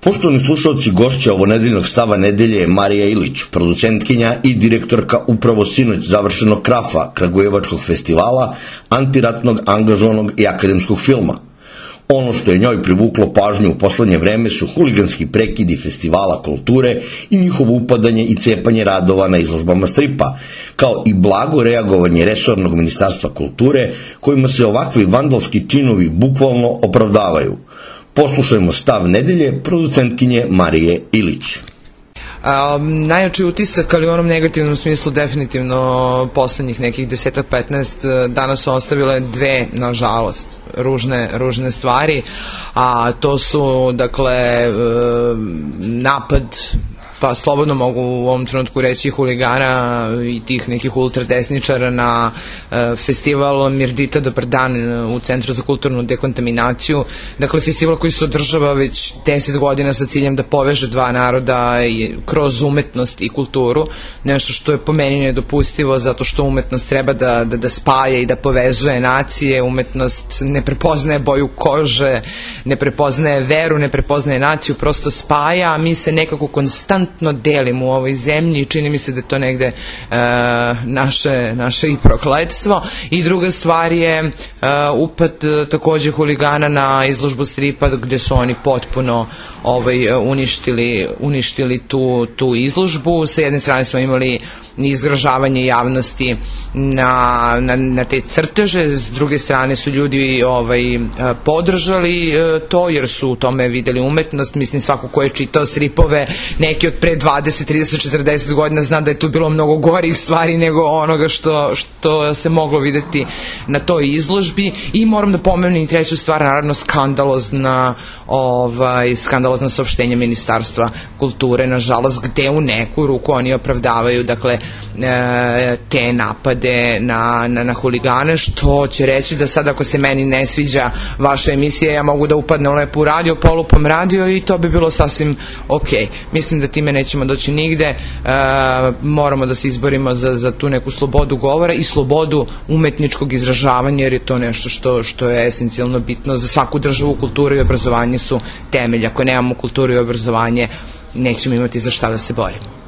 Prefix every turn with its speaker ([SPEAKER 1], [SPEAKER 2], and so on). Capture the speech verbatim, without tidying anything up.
[SPEAKER 1] Poštovani slušalci, gošća ovonedeljnog Stava nedelje je Marija Ilić, producentkinja i direktorka upravo sinoć završenog Krafa, Kragujevačkog festivala, antiratnog, angažovanog i akademskog filma. Ono što je njoj privuklo pažnju u poslednje vreme su huliganski prekidi festivala kulture i njihovo upadanje i cepanje radova na izložbama stripa, kao i blago reagovanje resornog ministarstva kulture, kojima se ovakvi vandalski činovi bukvalno opravdavaju. Poslušajmo Stav nedelje producentkinje Marije Ilić.
[SPEAKER 2] Um, najjači utisak, ali u onom negativnom smislu definitivno poslednjih nekih desetak petnaest dana su ostavile dve, nažalost, ružne, ružne stvari, a to su, dakle, napad, pa slobodno mogu u ovom trenutku reći, huligana i tih nekih ultradesničara na e, festival Mirdita Dobar dan u Centru za kulturnu dekontaminaciju. Dakle, festival koji se održava već deset godina sa ciljem da poveže dva naroda i, kroz umetnost i kulturu. Nešto što je po meni nedopustivo, zato što umetnost treba da, da, da spaja i da povezuje nacije. Umetnost ne prepoznaje boju kože, ne prepoznaje veru, ne prepoznaje naciju, prosto spaja, a mi se nekako konstantno delimo u ovoj zemlji i čini mi se da je to negde e, naše, naše i prokletstvo. I druga stvar je e, upad takođe huligana na izložbu stripa gde su oni potpuno ovaj, uništili, uništili tu, tu izložbu. Sa jedne strane smo imali izgražavanje javnosti na, na, na te crteže, s druge strane su ljudi ovaj, podržali to jer su u tome videli umetnost. Mislim, svako ko je čitao stripove neki od pre dvadeset, trideset, četrdeset godina zna da je tu bilo mnogo gorih stvari nego onoga što, što se moglo videti na toj izložbi. I moram da pomenem i treću stvar, naravno skandalozna ovaj, skandalozna saopštenja Ministarstva kulture, nažalost, gde u neku ruku oni opravdavaju, dakle, te napade na, na, na huligane, što će reći da sad ako se meni ne sviđa vaša emisija, ja mogu da upadnem lepo u radio, polupam radio i to bi bilo sasvim ok. Mislim da time nećemo doći nigde, e, moramo da se izborimo za, za tu neku slobodu govora i slobodu umetničkog izražavanja, jer je to nešto što, što je esencijalno bitno za svaku državu. Kultura i obrazovanje su temelj. Ako nemamo kulturu i obrazovanje, nećemo imati za šta da se borimo.